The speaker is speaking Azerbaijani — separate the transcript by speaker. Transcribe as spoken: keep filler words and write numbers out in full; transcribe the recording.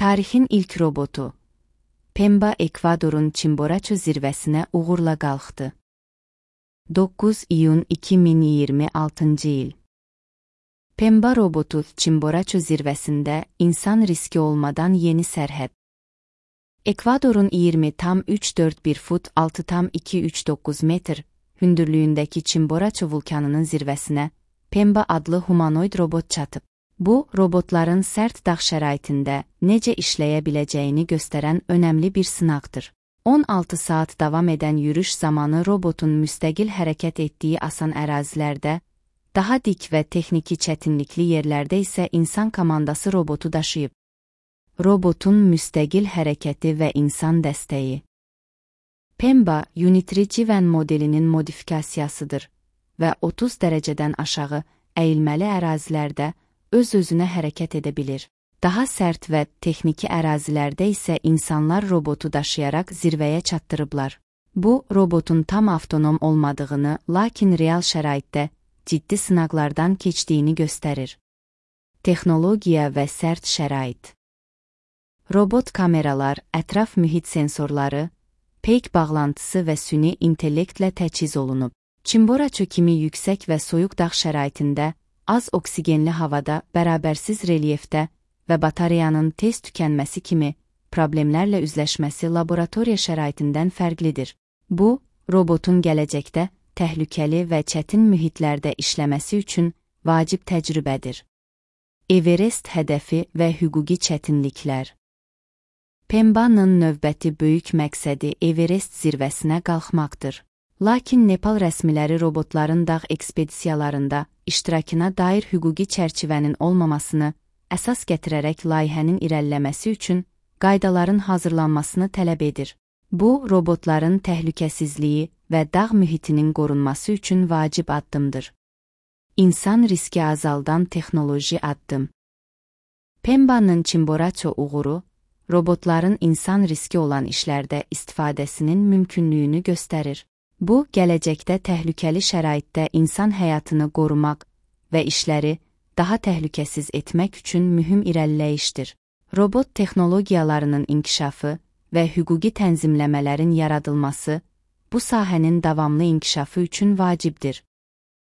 Speaker 1: Tarixin ilk robotu. Pemba Ekvadorun Chimboraço zirvəsinə uğurla qalxdı. doqquz iyun iki min iyirmi altıncı il. Pemba robotu Chimboraço zirvəsində insan riski olmadan yeni sərhəd. Ekvadorun iyirmi tam üç dörd bir fut altı tam iki üç doqquz metr hündürlüyündəki Chimboraço vulkanının zirvəsinə Pemba adlı humanoid robot çatıb. Bu, robotların sərt dağ şəraitində necə işləyə biləcəyini göstərən önəmli bir sınaqdır. on altı saat davam edən yürüş zamanı robotun müstəqil hərəkət etdiyi asan ərazilərdə, daha dik və texniki çətinlikli yerlərdə isə insan komandası robotu daşıyıb. Robotun müstəqil hərəkəti və insan dəstəyi. Pemba, Unitrigiven modelinin modifikasiyasıdır və otuz dərəcədən aşağı əyilməli ərazilərdə öz-özünə hərəkət edə bilir. Daha sərt və texniki ərazilərdə isə insanlar robotu daşıyaraq zirvəyə çatdırıblar. Bu, robotun tam avtonom olmadığını, lakin real şəraitdə ciddi sınaqlardan keçdiyini göstərir. Texnologiya və sərt şərait. Robot kameralar, ətraf mühit sensorları, peyk bağlantısı və süni intellektlə təchiz olunub. Chimboraço kimi yüksək və soyuq dağ şəraitində, az oksigenli havada, bərabərsiz relyefdə və batareyanın tez tükənməsi kimi problemlərlə üzləşməsi laboratoriya şəraitindən fərqlidir. Bu, robotun gələcəkdə təhlükəli və çətin mühitlərdə işləməsi üçün vacib təcrübədir. Everest hədəfi və hüquqi çətinliklər. Pemba'nın növbəti böyük məqsədi Everest zirvəsinə qalxmaqdır. Lakin Nepal rəsmiləri robotların dağ ekspedisiyalarında iştirakına dair hüquqi çərçivənin olmamasını əsas gətirərək layihənin irəliləməsi üçün qaydaların hazırlanmasını tələb edir. Bu, robotların təhlükəsizliyi və dağ mühitinin qorunması üçün vacib addımdır. İnsan riski azaldan texnoloji addım. Pemba'nın Chimboraço uğuru, robotların insan riski olan işlərdə istifadəsinin mümkünlüyünü göstərir. Bu, gələcəkdə təhlükəli şəraitdə insan həyatını qorumaq və işləri daha təhlükəsiz etmək üçün mühüm irəliləyişdir. Robot texnologiyalarının inkişafı və hüquqi tənzimləmələrin yaradılması bu sahənin davamlı inkişafı üçün vacibdir.